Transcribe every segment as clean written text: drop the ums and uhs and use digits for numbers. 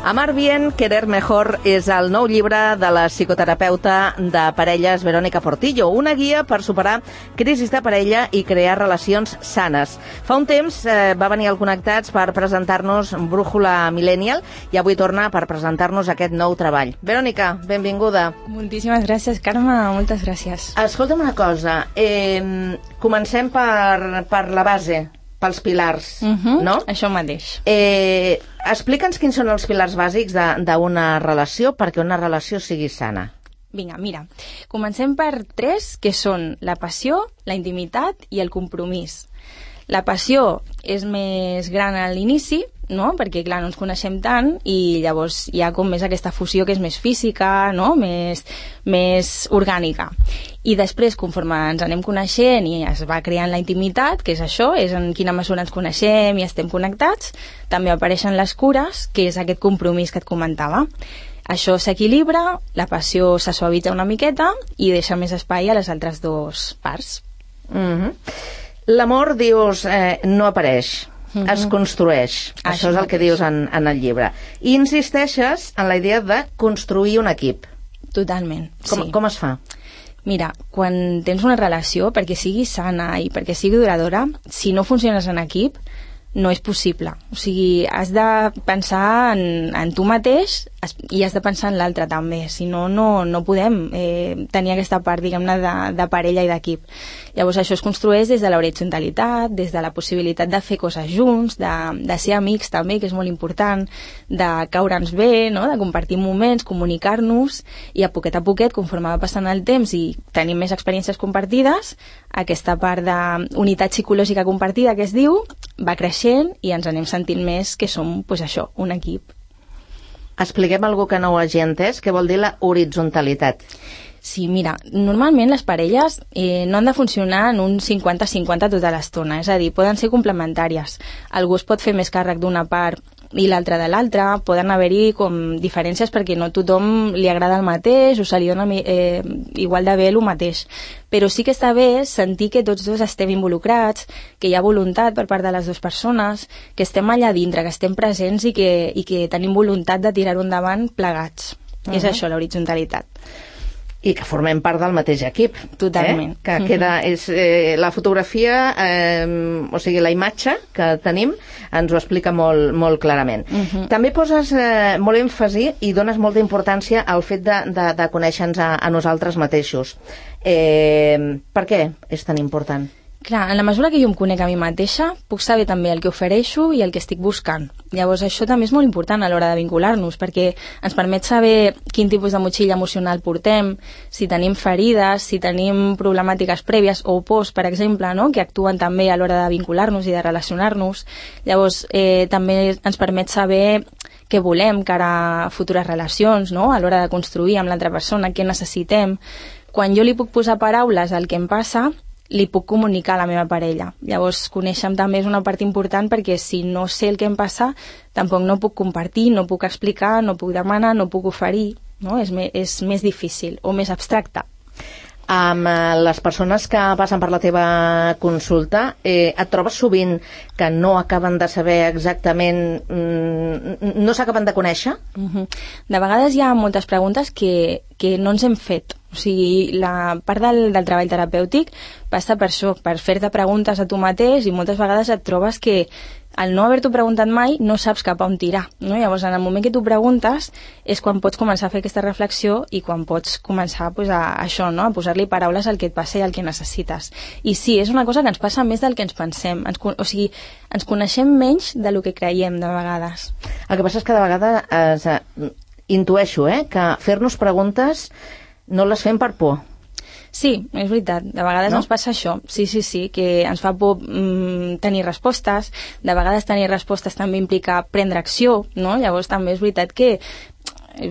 Amar bien, querer mejor és el nou llibre de la psicoterapeuta de parelles Verónica Portillo, una guia per superar crisis de parella i crear relacions sanes. Fa un temps va venir al Connectats per presentar-nos Brújula Millennial i avui torna per presentar-nos aquest nou treball. Verónica, benvinguda. Moltíssimes gràcies, Carme, moltes gràcies. Escolta'm una cosa, comencem per la base, pels pilars, no? Això mateix. Explica'ns quins són els pilars bàsics d'una relació perquè una relació sigui sana. Vinga, mira, comencem per 3, que són la passió, la intimitat i el compromís. La passió és més gran a l'inici, no? Perquè, clar, no ens coneixem tant i llavors hi ha com més aquesta fusió que és més física, no? Més orgànica. I després, conforme ens anem coneixent i es va creant la intimitat, que és això, és en quina mesura ens coneixem i estem connectats, també apareixen les cures, que és aquest compromís que et comentava. Això s'equilibra, la passió se suavitza una miqueta i deixa més espai a les altres dues parts. L'amor, dius, no apareix, es construeix. Això és el que dius en el llibre. I insisteixes en la idea de construir un equip. Totalment, sí. Com es fa? Mira, quan tens una relació, perquè sigui sana i perquè sigui duradora, si no funciones en equip, no és possible. O sigui, has de pensar en tu mateix i has de pensar en l'altre també. Si no, no podem tenir aquesta part, diguem-ne, de parella i d'equip. Llavors això es construeix des de l'horitzontalitat, des de la possibilitat de fer coses junts, de ser amics també, que és molt important, de caure'ns bé, no? De compartir moments, comunicar-nos, i a poquet, conforme va passant el temps i tenim més experiències compartides, aquesta part d'unitat psicològica compartida que es diu, va creixent i ens anem sentint més que som, doncs això, un equip. Expliquem algú que no ho hagi entès, què vol dir la horitzonalitat. Sí, mira, normalment les parelles no han de funcionar en un 50-50 tota l'estona, és a dir, poden ser complementàries. Algú es pot fer més càrrec d'una part i l'altra de l'altra, poden haver-hi com diferències perquè no a tothom li agrada el mateix o se li dona igual de bé el mateix. Però sí que està bé sentir que tots dos estem involucrats, que hi ha voluntat per part de les dues persones, que estem allà dintre, que estem presents i que tenim voluntat de tirar-ho endavant plegats. És això, l'horitzonalitat. I que formem part del mateix equip. Totalment. Que queda, és, la fotografia, o sigui, la imatge que tenim ens ho explica molt clarament. També poses molt èmfasi i dones molta importància al fet de conèixer-nos a nosaltres mateixos. Per què és tan important? Clar, en la mesura que jo em conec a mi mateixa, puc saber també el que ofereixo i el que estic buscant. Llavors això també és molt important a l'hora de vincular-nos, perquè ens permet saber quin tipus de motxilla emocional portem, si tenim ferides, si tenim problemàtiques prèvies o pors, per exemple, no? Que actuen també a l'hora de vincular-nos i de relacionar-nos. Llavors també ens permet saber què volem cara a futures relacions, no? A l'hora de construir amb l'altra persona, què necessitem. Quan jo li puc posar paraules al que em passa, li puc comunicar a la meva parella. Llavors, conèixer-me també és una part important perquè si no sé el que em passa, tampoc no puc compartir, no puc explicar, no puc demanar, no puc oferir, no? És més difícil o més abstracte. Amb les persones que passen per la teva consulta, et trobes sovint que no acaben de saber exactament, no s'acaben de conèixer? De vegades hi ha moltes preguntes que no ens hem fet. O sigui, la part del treball terapèutic passa per això, per fer-te preguntes a tu mateix, i moltes vegades et trobes que al no haver-t'ho preguntat mai no saps cap a on tirar, no? Llavors, en el moment que t'ho preguntes és quan pots començar a fer aquesta reflexió i quan pots començar pues, a això, no? A posar-li paraules al que et passa i al que necessites. I sí, és una cosa que ens passa més del que ens pensem. O sigui, ens coneixem menys del que creiem de vegades. El que passa és que de vegades intueixo que fer-nos preguntes no les fem per por. Sí, és veritat. De vegades ens passa això. Sí, que ens fa por tenir respostes. De vegades tenir respostes també implica prendre acció, no? Llavors també és veritat que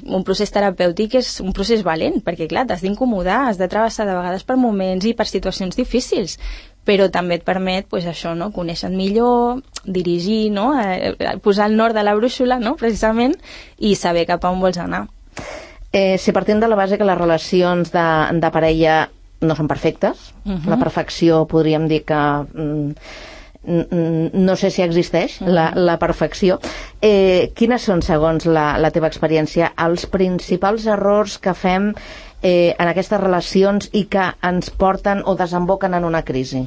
un procés terapèutic és un procés valent, perquè clar, t'has d'incomodar, has de travessar de vegades per moments i per situacions difícils, però també et permet, pues, això, no? Conèixer millor, dirigir, no? Posar el nord de la brúixola, no? Precisament, i saber cap a on vols anar. Si partim de la base que les relacions de parella no són perfectes, la perfecció podríem dir que no sé si existeix la perfecció. Quines són, segons la teva experiència, els principals errors que fem en aquestes relacions i que ens porten o desemboquen en una crisi?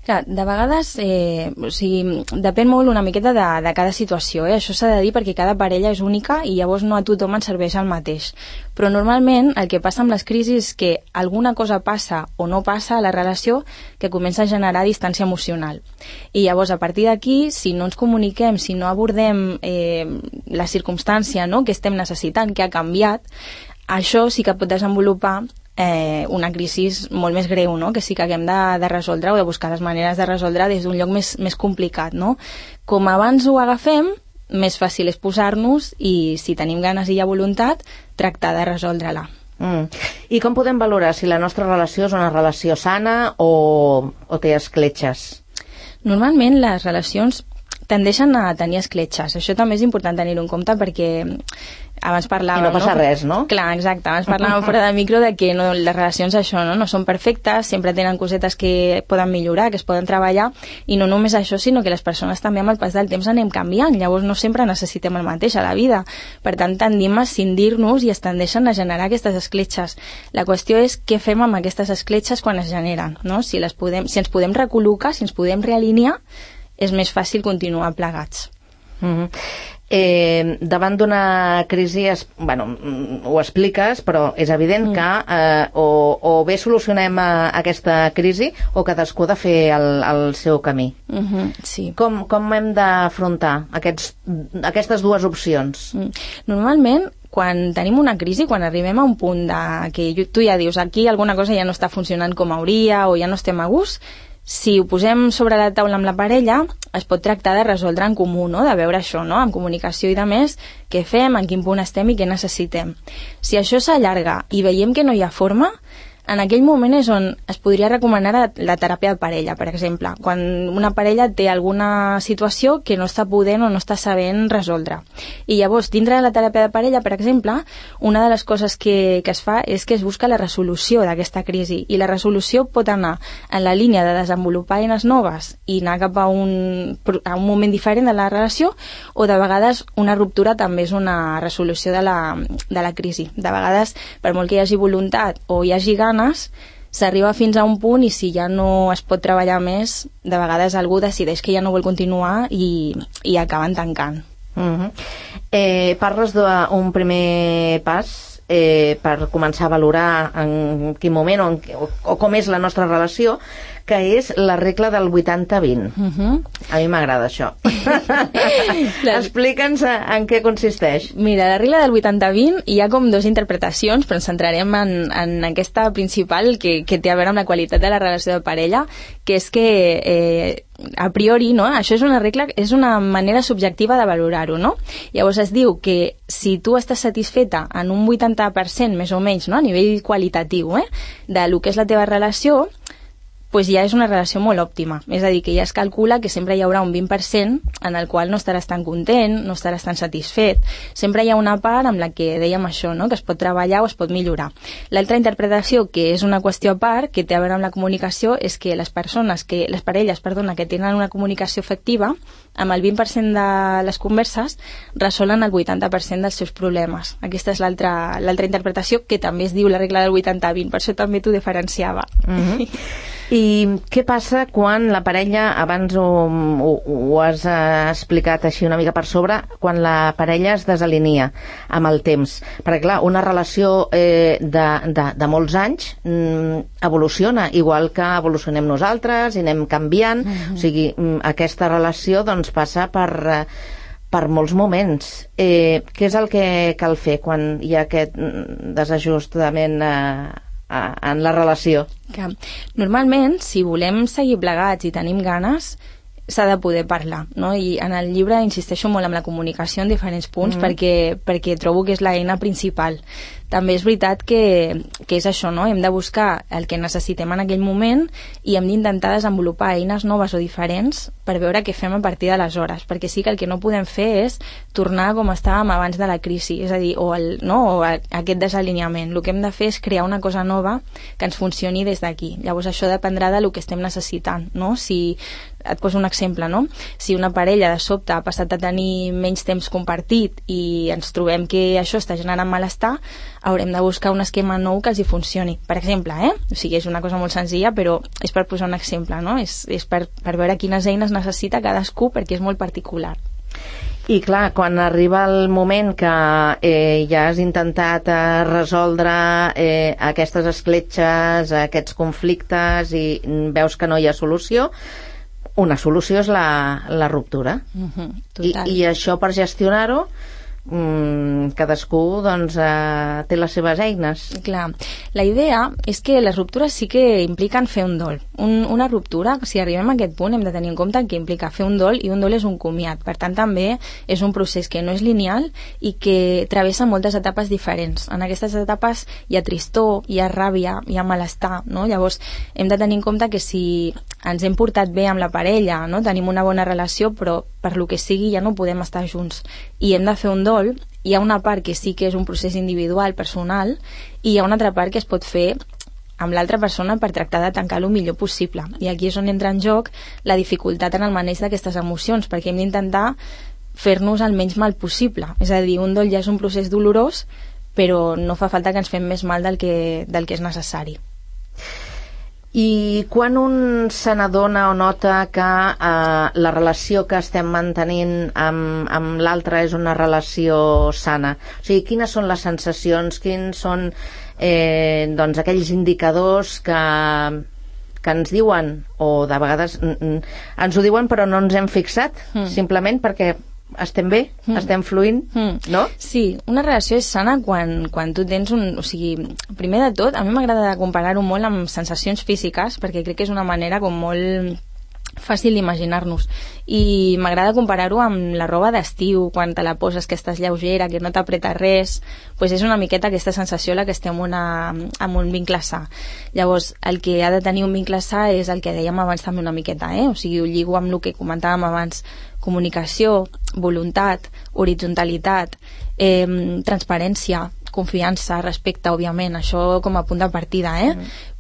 Clar, de vegades, depèn molt una miqueta de cada situació, Això s'ha de dir perquè cada parella és única i llavors no a tothom ens serveix el mateix. Però normalment el que passa amb les crisis és que alguna cosa passa o no passa a la relació que comença a generar distància emocional. I llavors, a partir d'aquí, si no ens comuniquem, si no abordem la circumstància, que estem necessitant, que ha canviat, això sí que pot desenvolupar una crisi molt més greu, que sí que haguem de resoldre o de buscar les maneres de resoldre des d'un lloc més complicat. Com abans ho agafem, més fàcil és posar-nos i, si tenim ganes i hi ha voluntat, tractar de resoldre-la. I com podem valorar si la nostra relació és una relació sana o té escletxes? Normalment les relacions tendeixen a tenir escletxes. Això també és important tenir-ho en compte perquè abans parlàvem... I no passa res, no? Clar, exacte. Abans parlàvem fora de micro de que les relacions no són perfectes, sempre tenen cosetes que poden millorar, que es poden treballar, i no només això, sinó que les persones també amb el pas del temps anem canviant, llavors no sempre necessitem el mateix a la vida. Per tant, tendim a escindir-nos i es tendeixen a generar aquestes escletxes. La qüestió és què fem amb aquestes escletxes quan es generen, Si ens podem recol·locar, si ens podem realinear, és més fàcil continuar plegats. Davant d'una crisi, ho expliques, però és evident que o bé solucionem aquesta crisi o cadascú ha de fer el seu camí. Sí. Com hem d'afrontar aquestes dues opcions? Normalment, quan tenim una crisi, quan arribem a un punt que tu ja dius aquí alguna cosa ja no està funcionant com hauria o ja no estem a gust, si ho posem sobre la taula amb la parella, es pot tractar de resoldre en comú, de veure això, amb comunicació i de més, què fem, en quin punt estem i què necessitem. Si això s'allarga i veiem que no hi ha forma, en aquell moment és on es podria recomanar la teràpia de parella, per exemple, quan una parella té alguna situació que no està podent o no està sabent resoldre. I llavors, dintre de la teràpia de parella, per exemple, una de les coses que es fa és que es busca la resolució d'aquesta crisi, i la resolució pot anar en la línia de desenvolupar eines noves i anar cap a un moment diferent de la relació, o de vegades una ruptura també és una resolució de la crisi. De vegades, per molt que hi hagi voluntat o hi hagi ganes, s'arriba fins a un punt i si ja no es pot treballar més, de vegades algú decideix que ja no vol continuar i acaben tancant. Parles d'un primer pas per començar a valorar en quin moment o com és la nostra relació, que és la regla del 80-20. A mi m'agrada això. Explica'ns en què consisteix. Mira, la regla del 80-20 hi ha com dues interpretacions, però ens centrarem en aquesta principal que té a veure amb la qualitat de la relació de parella, que és que a priori, això és una regla, és una manera subjectiva de valorar-ho, Llavors es diu que si tu estàs satisfeta en un 80% més o menys, a nivell qualitatiu, de lo que és la teva relació, pues ja és una relació molt òptima. És a dir, que ja es calcula que sempre hi haurà un 20% en el qual no estaràs tan content, no estaràs tan satisfet. Sempre hi ha una part amb la que dèiem això, que es pot treballar o es pot millorar. L'altra interpretació, que és una qüestió a part, que té a veure amb la comunicació, és que les parelles que tenen una comunicació efectiva, amb el 20% de les converses resolen el 80% dels seus problemes. Aquesta és l'altra interpretació, que també es diu la regla del 80-20, per això també t'ho diferenciava. I què passa quan la parella, abans ho has explicat així una mica per sobre, quan la parella es desalinia amb el temps? Perquè clar, una relació de molts anys evoluciona, igual que evolucionem nosaltres i anem canviant, o sigui, aquesta relació doncs passa per molts moments. Què és el que cal fer quan hi ha aquest desajustament en la relació? Normalment, si volem seguir plegats i tenim ganes, s'ha de poder parlar, I en el llibre insisteixo molt en la comunicació en diferents punts perquè trobo que és l'eina principal. també és veritat que és això, no? Hem de buscar el que necessitem en aquell moment i hem d'intentar desenvolupar eines noves o diferents per veure què fem a partir d'aleshores, perquè sí que el que no podem fer és tornar com estàvem abans de la crisi, és a dir, o aquest desalineament. El que hem de fer és crear una cosa nova que ens funcioni des d'aquí. Llavors això dependrà del que estem necessitant, no? Si et poso un exemple, no? Si una parella de sobte ha passat a tenir menys temps compartit i ens trobem que això està generant malestar, haurem de buscar un esquema nou que els hi funcioni. Per exemple, O sigui, és una cosa molt senzilla, però és per posar un exemple, no? És per veure quines eines necessita cadascú, perquè és molt particular. I clar, quan arriba el moment que ja has intentat resoldre aquestes escletxes, aquests conflictes i veus que no hi ha solució, una solució és la ruptura. I això, per gestionar-ho, cadascú doncs, té les seves eines. Clar, la idea és que les ruptures sí que impliquen fer un dol. Una ruptura, si arribem a aquest punt, hem de tenir en compte que implica fer un dol, i un dol és un comiat. Per tant, també és un procés que no és lineal i que travessa moltes etapes diferents. En aquestes etapes hi ha tristor, hi ha ràbia, hi ha malestar, no? Llavors, hem de tenir en compte que si ens hem portat bé amb la parella, no? Tenim una bona relació, però per lo que sigui ja no podem estar junts i hem de fer un dol, hi ha una part que sí que és un procés individual, personal, i hi ha una altra part que es pot fer amb l'altra persona per tractar de tancar el millor possible. I aquí és on entra en joc la dificultat en el maneig d'aquestes emocions, perquè hem d'intentar fer-nos el menys mal possible. És a dir, un dol ja és un procés dolorós, però no fa falta que ens fem més mal del que és necessari. I quan un se n'adona o nota que la relació que estem mantenint amb l'altre és una relació sana? O sigui, quines són les sensacions, quins són doncs aquells indicadors que ens diuen, o de vegades ens ho diuen però no ens hem fixat, simplement perquè estem bé, estem fluint, no? Sí, una relació és sana quan tu tens o sigui, primer de tot, a mi m'agrada comparar-ho molt amb sensacions físiques, perquè crec que és una manera com molt fàcil d'imaginar-nos, i m'agrada comparar-ho amb la roba d'estiu, quan te la poses que estàs lleugera, que no t'apreta res, doncs és una miqueta aquesta sensació la que estem amb un vincle sa. Llavors, el que ha de tenir un vincle sa és el que dèiem abans també una miqueta, o sigui, ho lligo amb el que comentàvem abans: comunicació, voluntat, horitzonalitat, transparència, confiança, respecte, òbviament, això com a punt de partida,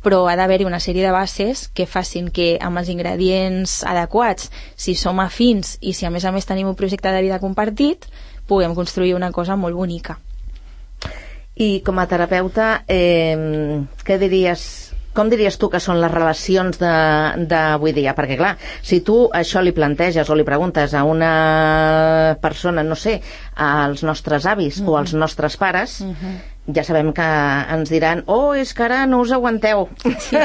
però ha d'haver-hi una sèrie de bases que facin que amb els ingredients adequats, si som afins i si a més tenim un projecte de vida compartit, puguem construir una cosa molt bonica. I com a terapeuta, com diries tu que són les relacions d'avui dia? Perquè clar, si tu això li planteges o li preguntes a una persona, no sé, als nostres avis o als nostres pares, ja sabem que ens diran: oh, és que ara no us aguanteu. Sí.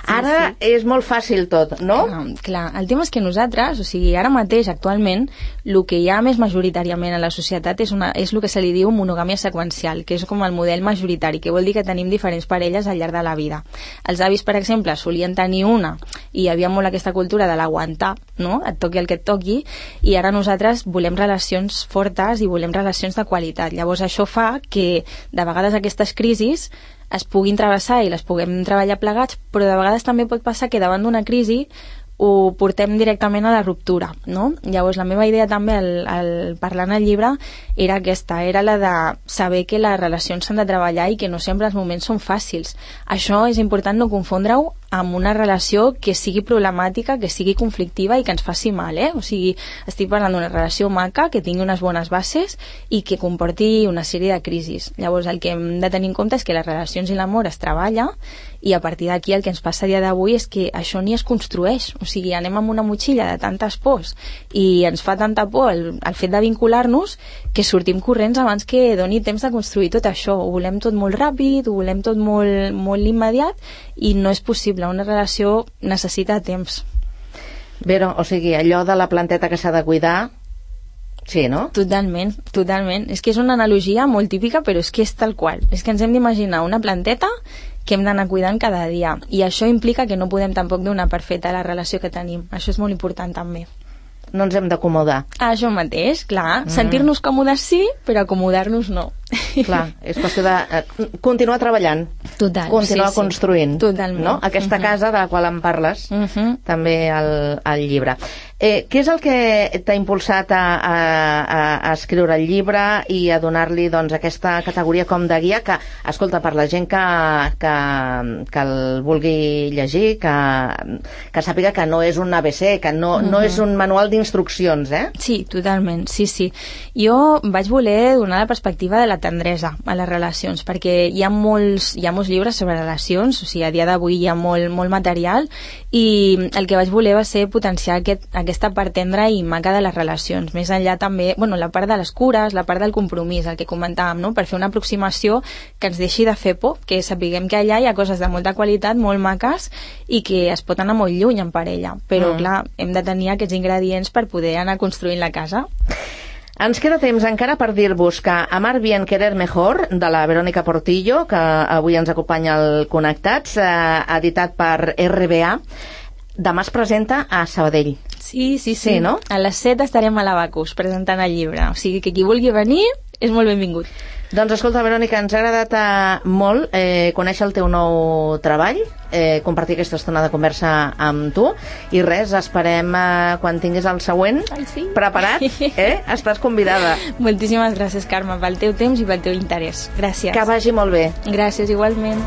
Ara és molt fàcil tot, no? Clar, el tema és que nosaltres, o sigui, ara mateix, actualment, el que hi ha més majoritàriament a la societat és el que se li diu monogàmia seqüencial, que és com el model majoritari, que vol dir que tenim diferents parelles al llarg de la vida. Els avis, per exemple, solien tenir una, i hi havia molt aquesta cultura de l'aguantar, no? Et toqui el que et toqui, i ara nosaltres volem relacions fortes i volem relacions de qualitat. Llavors això fa que de vegades aquestes crisis es puguin travessar i les puguem treballar plegats, però de vegades també pot passar que davant d'una crisi ho portem directament a la ruptura, no? Llavors la meva idea també al parlar en el llibre era aquesta, era la de saber que les relacions s'han de treballar i que no sempre els moments són fàcils. Això és important no confondre-ho amb una relació que sigui problemàtica, que sigui conflictiva i que ens faci mal, O sigui, estic parlant d'una relació maca, que tingui unes bones bases i que comporti una sèrie de crisis. Llavors el que hem de tenir en compte és que les relacions i l'amor es treballa, i a partir d'aquí el que ens passa a dia d'avui és que això ni es construeix. O sigui, anem amb una motxilla de tantes pors i ens fa tanta por el fet de vincular-nos que sortim corrents abans que doni temps de construir tot això. Ho volem tot molt ràpid, ho volem tot molt, molt immediat, i no és possible. Una relació necessita temps. Vero, o sigui, allò de la planteta que s'ha de cuidar, sí, no? Totalment, totalment. És que és una analogia molt típica, però és que és tal qual. És que ens hem d'imaginar una planteta que hem d'anar cuidant cada dia, i això implica que no podem tampoc donar per feta la relació que tenim. Això és molt important també. No ens hem d'acomodar. Això mateix, clar. Sentir-nos còmodes sí, però acomodar-nos no. Clar, és qüestió de continuar treballant. Total, continuar construint. Totalment. No? Aquesta casa de la qual en parles, també al llibre. Què és el que t'ha impulsat a escriure el llibre i a donar-li doncs, aquesta categoria com de guia que, escolta, per la gent que el vulgui llegir, que sàpiga que no és un ABC, que no és un manual d'instruccions, Sí, totalment, sí. Jo vaig voler donar la perspectiva de la tendresa a les relacions, perquè hi ha molts llibres sobre relacions, o sigui, a dia d'avui hi ha molt material, i el que vaig voler va ser potenciar aquesta part tendra i maca de les relacions, més enllà també, la part de les cures, la part del compromís, el que comentàvem, no? Per fer una aproximació que ens deixi de fer por, que sapiguem que allà hi ha coses de molta qualitat, molt maques, i que es pot anar molt lluny en parella, però clar, hem de tenir aquests ingredients per poder anar construint la casa. Ens queda temps encara per dir-vos que Amar bien, querer mejor, de la Verónica Portillo, que avui ens acompanya al Connectats, editat per RBA, demà es presenta a Sabadell. Sí, no? A les 7 estarem a l'Abacus presentant el llibre, o sigui que qui vulgui venir és molt benvingut. Doncs escolta, Verònica, ens ha agradat molt conèixer el teu nou treball, compartir aquesta estona de conversa amb tu, i res, esperem quan tinguis el següent preparat, estàs convidada. Moltíssimes gràcies, Carme, pel teu temps i pel teu interès. Gràcies. Que vagi molt bé. Gràcies, igualment.